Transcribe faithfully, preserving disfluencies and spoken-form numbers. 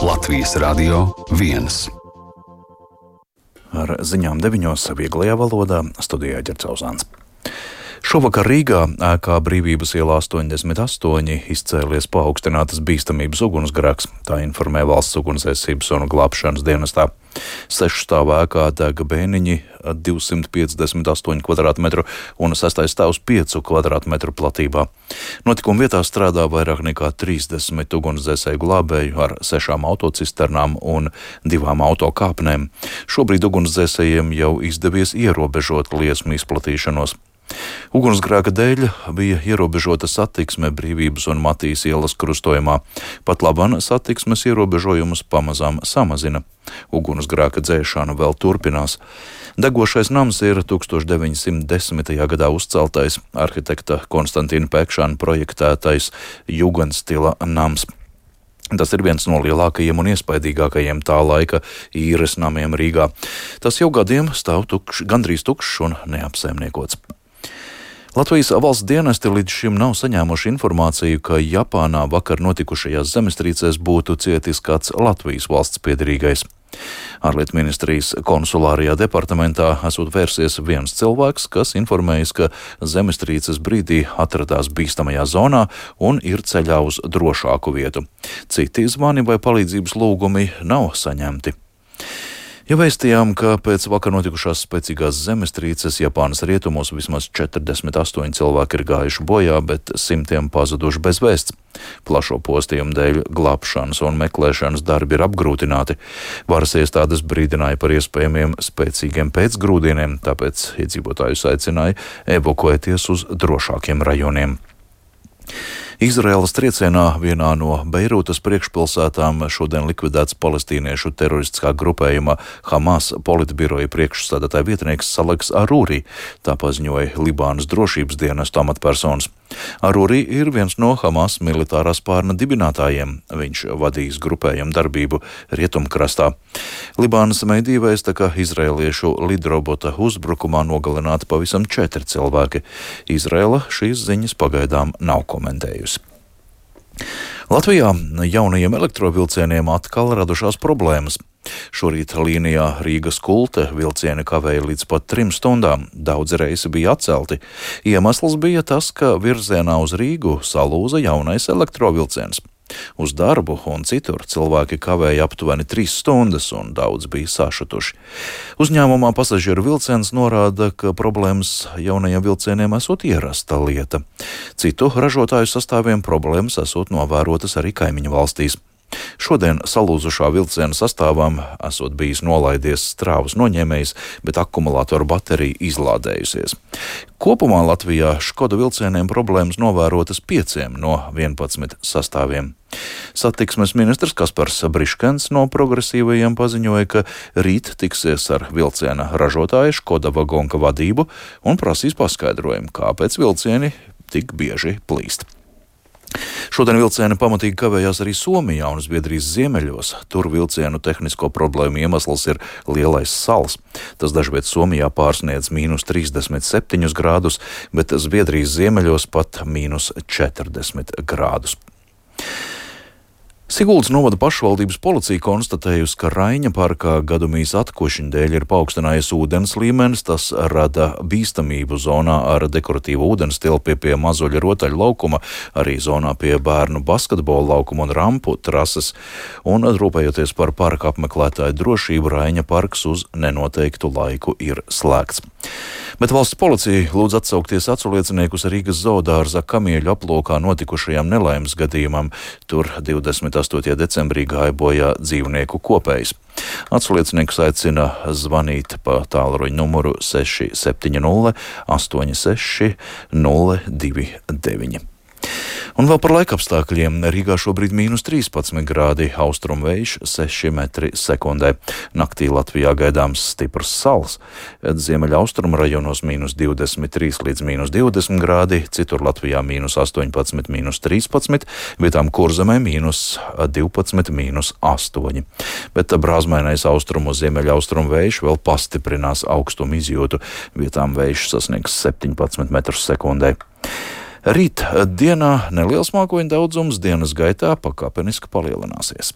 Latvijas Radio viens. Ar ziņām deviņos vieglajā valodā studijā Ģercauzāns. Šovakar Rīgā ēkā Brīvības ielā astoņdesmit astoņi izcēlies paaugstinātas bīstamības ugunsgrēks, tā informē Valsts ugunsdzēsības un glābšanas dienestā. Sešu stāvu ēkā deg bēniņi divsimt piecdesmit astoņu kvadrātmetru un sestais stāvs piecu kvadrātmetru platībā. Notikuma vietā strādā vairāk nekā trīsdesmit ugunsdzēsēju glābēju ar sešām autocisternām un divām autokāpnēm. Šobrīd ugunsdzēsējiem jau izdevies ierobežot liesmu izplatīšanos. Ugunsgrēka dēļ bija ierobežota satiksme Brīvības un Matīs ielas krustojumā. Pat labam satiksmes ierobežojumus pamazām samazina. Ugunsgrēka dzēšana vēl turpinās. Degošais nams ir tūkstoš deviņsimt desmitajā gadā uzceltais arhitekta Konstantīna Pekšana projektētais jugendstila nams. Tas ir viens no lielākajiem un iespaidīgākajiem tā laika īres namiem Rīgā. Tas jau gadiem stāv tukš, gandrīz tukšs un neapsaimniekots. Latvijas valsts dienesti līdz šim nav saņēmuši informāciju, ka Japānā vakar notikušajās zemestrīcēs būtu cietis kāds Latvijas valsts piederīgais. Ārlietu ministrijas konsulārajā departamentā esot vērsies viens cilvēks, kas informējis, ka zemestrīces brīdī atradās bīstamajā zonā un ir ceļā uz drošāku vietu. Citi zvani vai palīdzības lūgumi nav saņemti. Ja vēstījām, ka pēc vakar notikušās spēcīgās zemestrīces Japānas rietumos vismaz četrdesmit astoņi cilvēki ir gājuši bojā, bet simtiem pazuduši bez vēsts. Plašo postījumu dēļ glābšanas un meklēšanas darbi ir apgrūtināti. Varas iestādes brīdināja par iespējamiem spēcīgiem pēcgrūdieniem, tāpēc iedzīvotājus aicināja evakuēties uz drošākiem rajoniem. Izraēlas triecienā vienā no Beirūtas priekšpilsētām šodien likvidēts palestīniešu teroristiskā grupējuma Hamas politbiroja priekšsēdētāja vietnieks Saleks Arūri, tā paziņoja Libānas drošības dienestu amatpersonas. Arūri ir viens no Hamas militārā spārna dibinātājiem. Viņš vadījis grupējumu darbību Rietumkrastā. Libānas mediji vēsta, ka izraēliešu lidrobota uzbrukumā nogalināti pavisam četri cilvēki. Izraēla šīs ziņas pagaidām nav komentējusi. Latvijā jaunajiem elektrovilcieniem atkal radušās problēmas. Šorīt līnijā Rīgas Kulte vilcieni kavēja līdz pat trim stundām. Daudzi reisi bija atcelti. Iemesls bija tas, ka virzienā uz Rīgu salūza jaunais elektrovilciens. Uz darbu un citur cilvēki kavēja aptuveni trīs stundas un daudz bija sašutuši. Uzņēmumā pasažieru vilciens norāda, ka problēmas jaunajiem vilcieniem esot ierasta lieta. Citu ražotāju sastāviem problēmas esot novērotas arī kaimiņu valstīs. Šodien salūzušā vilciena sastāvām esot bijis nolaidies strāvas noņēmējs, bet akumulātoru baterija izlādējusies. Kopumā Latvijā Škoda vilcieniem problēmas novērotas pieciem no vienpadsmit sastāviem. Satiksmes ministrs Kaspars Briškens no progresīvajiem paziņoja, ka rīt tiksies ar vilciena ražotāju Škoda Vagonka vadību un prasīs paskaidrojumu, kāpēc vilcieni tik bieži plīst. Šodien vilcieni pamatīgi kavējās arī Somijā un Zviedrijas ziemeļos. Tur vilcienu tehnisko problēmu iemesls ir lielais sals. Tas dažviet Somijā pārsniedz mīnus trīsdesmit septiņus grādus, bet Zviedrijas ziemeļos pat mīnus četrdesmit grādus. Siguldas novada pašvaldības policija konstatējusi, ka Raiņa parkā gadumijas atkošiņu dēļ ir paaugstinājies ūdens līmenis. Tas rada bīstamību zonā ar dekoratīvu ūdens tilpi pie Mazuļa rotaļu laukuma, arī zonā pie bērnu basketbola laukuma un rampu trases. Un rūpējoties par parka apmeklētāju drošību, Raiņa parks uz nenoteiktu laiku ir slēgts. Bet valsts policija lūdz atsaukties aculieciniekus Rīgas zoodārza Kamieļu aplokā notikušajām nelaimes gadījumam. Tur divdesmit astotajā decembrī gāja bojā dzīvnieku kopējs. Aculieciniekus aicina zvanīt pa tālruņa numuru seši septiņi nulle astoņi seši nulle divi deviņi. Un vēl par laikapstākļiem. Rīgā šobrīd mīnus trīspadsmit grādi, austrumvējš seši metri sekundē. Naktī Latvijā gaidāms stiprs sals. Ziemeļa austrumu rajonos mīnus divdesmit trīs līdz mīnus divdesmit grādi, citur Latvijā mīnus astoņpadsmit, mīnus trīspadsmit, vietām Kurzemē mīnus divpadsmit, mīnus astoņi. Bet brāzmainais austrumu ziemeļa austrumu vējš vēl pastiprinās augstumu izjūtu. Vietām vējš sasniegs septiņpadsmit metrus sekundē. Rīt dienā neliels mākoņu daudzums, dienas gaitā pakāpeniski palielināsies.